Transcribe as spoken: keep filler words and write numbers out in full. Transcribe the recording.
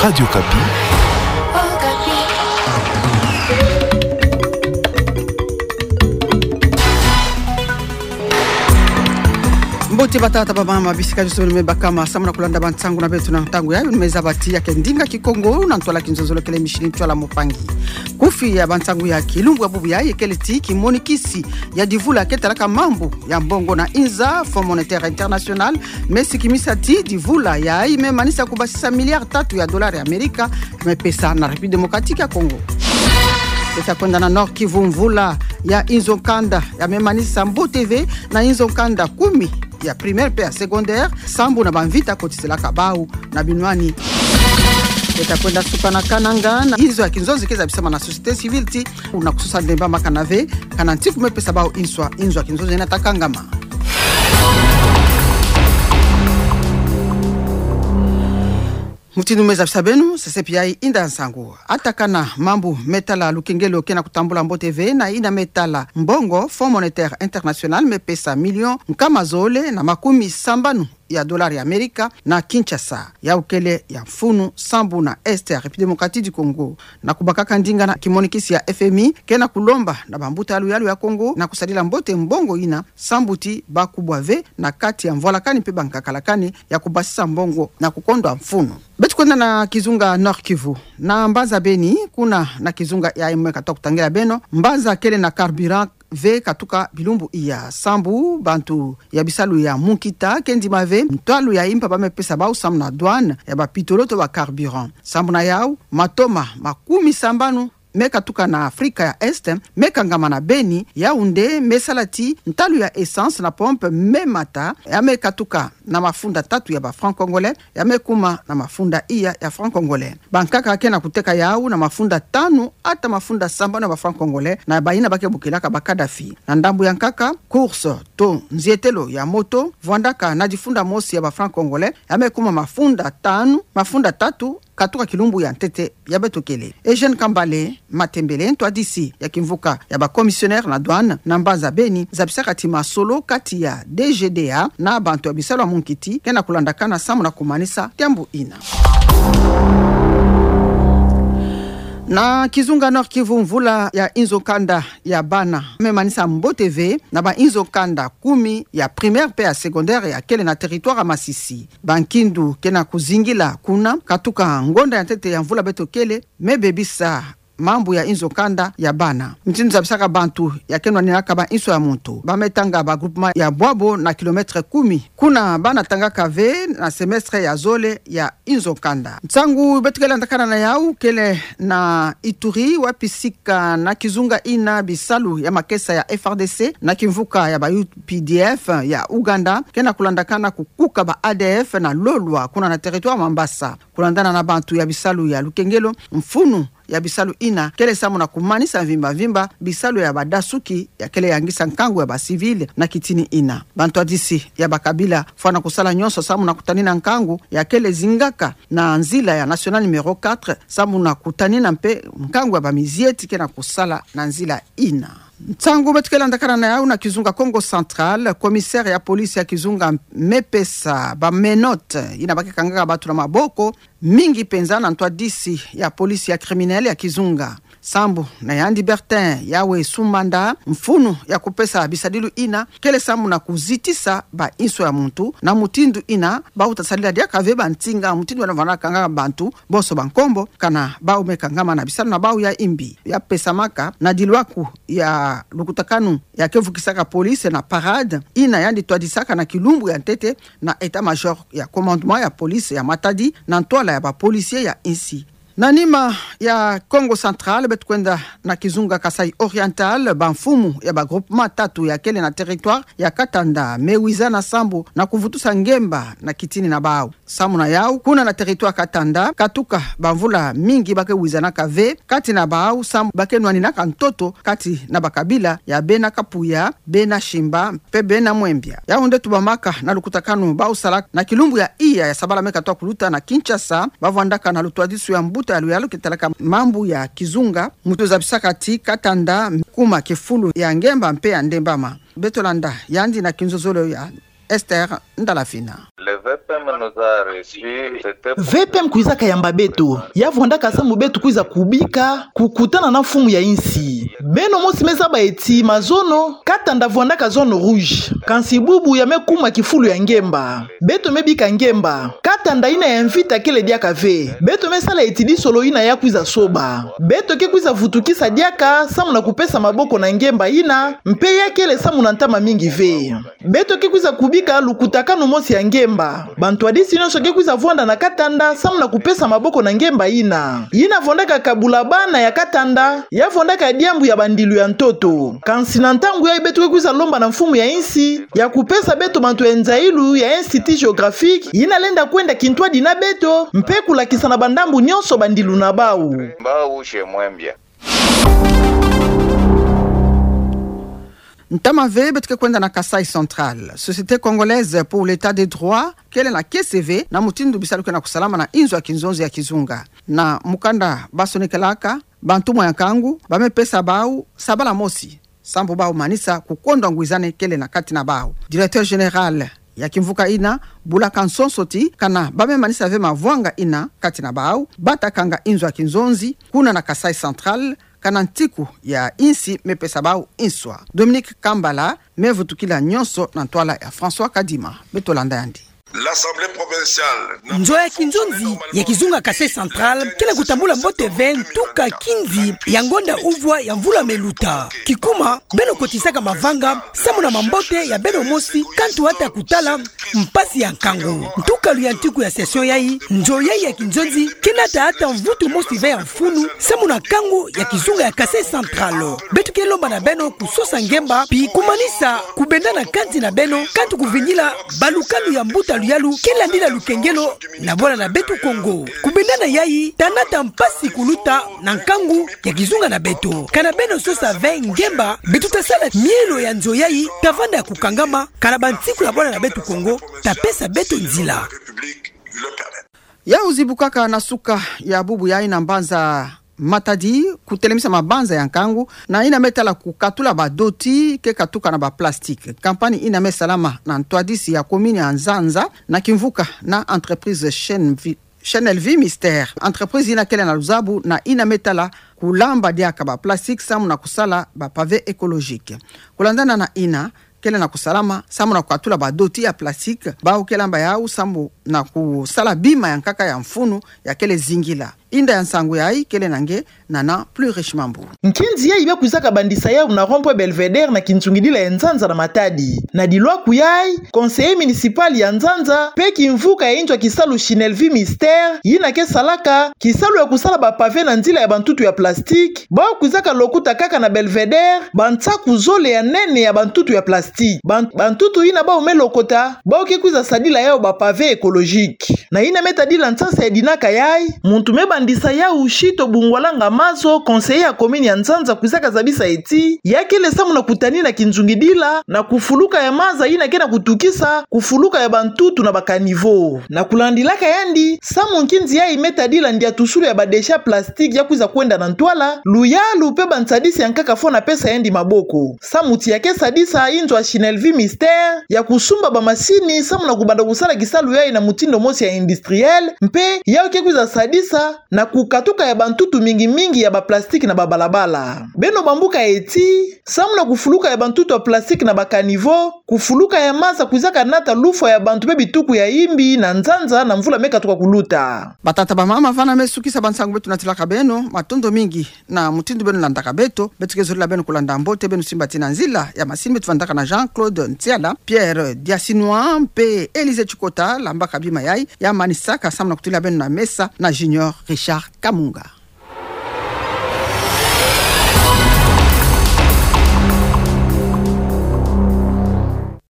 Radio Okapi. Mbote batata, bamama, bisika nyonso beno me bakama samu na kulanda bansangu na beto na ntangu yayi. Beno me zaba ti ya ke ndinga Kikongo na ntwala Kinzonzolo kele Micheline Ntwala Mopangi. Kufi ya bansangu ya kilumbu ya bubu yayi kele ti kimonikisi ya divula ke talaka mambu ya mbongo na inza, Fonds Monétaire International, me sikimisa ti divula yayi me manisa kubasisa milliard tatu ya dollar ya Amerika, me pesa na République Démocratique ya Congo. Beto ta kwenda na Nord-Kivu. Mvula ya inzo nkanda ya me manisa mbote ve na inzo nkanda kumi ya primaire pe ya secondaire, sambu na bamvita kotiselaka bau na binwani. Beto ta kwenda suka na Kananga, na inzo ya kinzonzi ke zabisama na société civile ti kuna kusosa ndemba ma kana ve, kana ntiku me pesa bau inswa, inzo ya kinzonzi ina ta kangama. Mutindu me zabisa beno, sesepi yayi inda nsangu. Atakana mambu me tala lukengelo ke na kutambula mbote ve na ina me tala mbongo, Fonds Monétaire International me pesa million nkama zole na makumi sambanu ya dollar ya Amerika na Kinshasa, yau kele ya mfunu sambu na Est ya République Démocratique du Congo. Na kubakaka ndinga na kimonikisi ya F M I, ke na kulomba na bambuta ya luyalu ya Congo na kusadila mbote mbongo ina, sambu ti bakubwa ve na kati ya mvwalakani pe bankakalakani ya kubasisa mbongo na kukondwa mfunu. Beto kwenda na kizunga Nord-Kivu, na mbanza Beni, kuna na kizunga yayi me katuka kutangila beno, mbanza kele na carburant ve katuka bilumbu iya, sambu bantu ya bisalu ya munkita ke ndima ve ntwalu ya impa ba me pesa bau samu na douane ya bapitolo to bacarburant. Sambu na yau, matoma makumi sambanu me katuka na Afrika ya Est me kangama na Beni, yau nde me sala ti ntalu ya essence na pompe me mata, ya me katuka na mafunda tatu ya bafrancs congolais, ya me kuma na mafunda iya ya francs congolais. Bankaka ke na kuteka yau na mafunda tanu ata mafunda sambanu ya bafrancs congolais na baina ba ke bokilaka ba Kadhafi. Na ndambu ya nkaka, course to nzietelo ya moto vwandaka na difunda mosi ya bafrancs congolais, ya me kuma mafunda tanu, mafunda tatu, katuka kilumbu ya ntete ya beto kele. Eugène Kambale Matembele, ntwadisi ya kimvuka ya bacommissionnaire na douane na mbanza Beni, zabisaka ti masolo kati ya D G D A na bantu ya bisalu ya munkita ke na kulandakana samu na kumanisa tiambu ina. Na kizunga Nord-Kivu, mvula ya inzo nkanda ya bana me manisa mbote ve na bainzo nkanda kumi ya primaire pe ya secondaire ya kele na territoire ya Masisi. Bankindu ke na kuzingila kuna katuka ngonda ya ntete ya mvula beto kele me bebisa mambu ya inzo nkanda ya bana. Mutindu zabisaka bantu ya ke nwaninaka bainswa ya muntu, ba me tanga bagroupement ya bwabo na kilomètre kumi, kuna bana tangaka ve na semestre ya zole ya inzo nkanda. Nsangu beto ke landakana na yau kele na Ituri, wapi sika na kizunga ina bisalu ya makesa ya F R D C na kimvuka ya ba U P D F ya Ouganda ke na kulandakana kukuka ba A D F na lolwa kuna na territoire Mambasa. Kulandana na bantu ya bisalu ya lukengelo, mfunu ya bisalu ina kele samu na kumanisa mvimba mvimba bisalu ya badasuki ya kele yangisa nkangu ya bacivil na kitini ina. Bantwadisi ya bakabila fwana kusala nyonso samu na kutanina nkangu ya kele zingaka na nzila ya nationale numéro quatre, samu na kutanina mpe nkangu ya bamizieti ke na kusala na nzila ina. Nsangu beto ke landakana na yau na kizunga Kongo Central, commissaire ya police ya kizunga me pesa bamenottes ina ba ke kangaka bantu na maboko, mingi mpenza na ntwadisi ya police ya criminel ya kizunga. Sambu na yandi Bertin Yawe Sumanda, mfunu ya kupesa bisadilu ina kele samu na kuzitisa bainswa ya muntu na mutindu ina bau ta sadila diaka ve bansinga, mutindu ina vwanda kangaka bantu bonso ba nkombo, kana bau me kangama na bisalu na bau ya imbi. Ya pesamaka na dilwaku ya lukutakanu ya ke vukisaka police na parade ina yandi twadisaka na kilumbu ya ntete na état-major ya commandement ya police ya Matadi na ntwala ya bapolicier ya insi. Na nima ya Kongo Central, beto kwenda na kizunga Kasaï Oriental, bamfumu ya bagroupement tatu ya kele na territoire ya Katanda me wizana sambu na kuvutusa ngemba na kitini na bau. Samu na yau, kuna na territoire Katanda, katuka bamvula mingi ba ke wizanaka ve kati na bau, samu ba ke nwaninaka ntoto kati na bakabila ya bena Kapuya, bena Shimba, mpe bena Mwembia. Yau nde tubamaka na lukutakanu bau salaka na kilumbu ya iya ya sabala me katuka kuluta na Kinshasa, ba vwandaka na lutwadisu ya mbuta ya luyalu ke talaka mambu ya kizunga, mutindu zabisaka ti Katanda kuma kifulu ya ngemba mpe ya ndembama. Beto landa yandi na kinzozolo ya Esther Ndala Fina. Le V P M nous a reçus, c'était pour... V P M kwizaka yamba beto, ya vwandaka samu beto kwiza kubika, kukutana na mfumu ya insi. Beno mosi me zaba ti mazono, Katanda vwandaka zone rouge. Kansi bubu ya me kuma kifulu ya ngemba. Beto me bika ngemba. Katanda yina ya mvita kele diaka ve. Beto me sala ti disolo yina ya kwiza soba. Beto ke kwiza vutukisa diaka samu na kupesa maboko na ngemba yina, mpe ya kele samu na ntama mingi ve. Beto ke kwiza kubika lukutakanu mosi ya ngemba. Bantwadisi nyonso ke kwiza vwanda na Katanda samu na kupesa maboko na ngemba yina. Yina vwandaka kabula bana ya Katanda, ya vwandaka diambu ya bandilu ya ntoto. Kansi na ntangu yayi beto ke kwiza lomba na mfumu ya insi, ya kupesa beto bantu ya nzayilu ya Institut Géographique, yina lenda kwenda kintwadi na beto, mpe kulakisa na bandambu nyonso bandilu na bau. Mbau chez Mwembia. Ntama ve beto ke kwenda na Kasaï Central. Société Congolaise pour l'État de Droit kele na kiese ve na mutindu bisalu ke na kusalama na inzo ya kinzonzi ya kizunga. Na mukanda basonekelaka, bantumwa ya nkangu ba me pesa bau sabala mosi, sambu bau manisa kukondwa ngwizane kele na kati na bau. Directeur général ya kimvuka yina bulaka nsonso ti kana ba me manisa ve mavwanga yina kati na bau, bata kanga inzo ya kinzonzi kuna na Kasaï Central, kana ntiku ya insi me pesa bau nswa. Dominique Kambala me vutukila nyonso na ntwala ya François Kadima. Beto landa yandi. L'Assemblée provinciale n'a... Nzo ya kinzonzi ya kizunga Kasaï Central ke na kutambula mbote ve ntuka kinzi ya ngonda uvwa ya mvula me luta. Kikuma, beno kotisaka mavanga samu na mambote ya beno mosi, kantu ata kutala mpasi ya nkangu. Ntukalu ya ntiku ya session yayi, nzo yayi ya kinzonzi ke nata ata mvutu mosi ve ya mfunu samu na nkangu ya kizunga ya Kasaï Central. Beto ke lomba na beno kusosa ngemba, pi kumanisa kubendana kansi na beno, kantu kuvingila balukalu ya mbuta luyalu ke landila lukengelo na bwala na beto Kongo. Kubendana yayi ta nata mpasi kuluta na nkangu ya kizunga na beto. Kana beno sosa ve ngemba, beto ta sala mielo ya nzo yayi ta vanda ya kukangama, kana bantiku ya bwala na beto Kongo ta pesa beto nzila. Yau zibukaka na suka ya bubu yayi na mbanza Matadi, kutelemisa mabanza ya nkangu na yina me tala kukatula badoti ke katuka na baplastique. Campagne yina me salama na ntwadisi ya commune ya Nzanza na kimvuka na entreprise Chaîne Vi-, Chaîne Elvie Mister. Entreprise yina kele na luzabu na yina me tala kulamba diaka baplastique samu na kusala bapavé écologique. Kulandana na yina, kele na kusalama samu na kukatula badoti ya plastique, bau ke lamba yau samu na kusala bima ya nkaka ya mfunu ya kele zingila. Inda ya nsangu yayi kele na nge Nana Plus Riche Mambu. Nkinzi yayi ba kwizaka bandisa yau na rond-point Belvédère na kinsungidila ya Nzanza na Matadi. Na dilwaku yayi, conseiller municipal ya Nzanza mpe kimvuka ya inzo ya kisalu Chaîne Elvie Mister, yina ke salaka kisalu ya kusala bapavé na nzila ya bantutu ya plastique, bau kwizaka lokuta kaka na Belvédère bansaku zole ya nene ya bantutu ya plastique. Ban-, bantutu yina bau me lokota, bau ke kwiza sadila yau bapavé écologique. Na yina me tadila nsasa ya dinaka yayi, muntu me bandisa yau Chito Bungwalanga Mazo, conseiller ya commune ya Nzanza, kwizaka zabisa ti ya kele samu na kutanina kinsungidila na kufuluka ya maza yina ke na kutukisa kufuluka ya bantutu na bacaniveau. Na kulandilaka yandi, samu nkinzi yayi me tadila ndiatusulu ya badéchets plastiques ya kwiza kwenda na ntwala, luyalu mpe bansadisi ya nkaka fo na pesa yandi maboko. Samu ti ya ke sadisa inzo ya Chaîne Elvie Mister ya kusumba bamasini samu na kubanda kusala kisalu yayi na mutindu mosi ya industriel, mpe yau ke kwiza sadisa na kukatuka ya bantutu mingi mingi ya baplastique na babalabala. Beno bambuka ti, samu na kufuluka ya bantutu ya plastique na bacaniveau, kufuluka ya maza kwizaka nata lufwa ya bantu mpe bituku ya imbi na Nzanza na mvula me katuka kuluta. Batata, bamama, vana me sukisa bansangu beto natilaka beno, matondo mingi na mutindu beno landaka beto. Beto ke zolila beno kulanda mbote, beno simba ti na nzila ya masini. Beto vandaka na Jean-Claude Ntiala, Pierre Diasinois mpe Élysée Tchikota, lambaka bima yayi, ya manisaka samu na kutulila beno na mesa na Junior Richard Kamunga.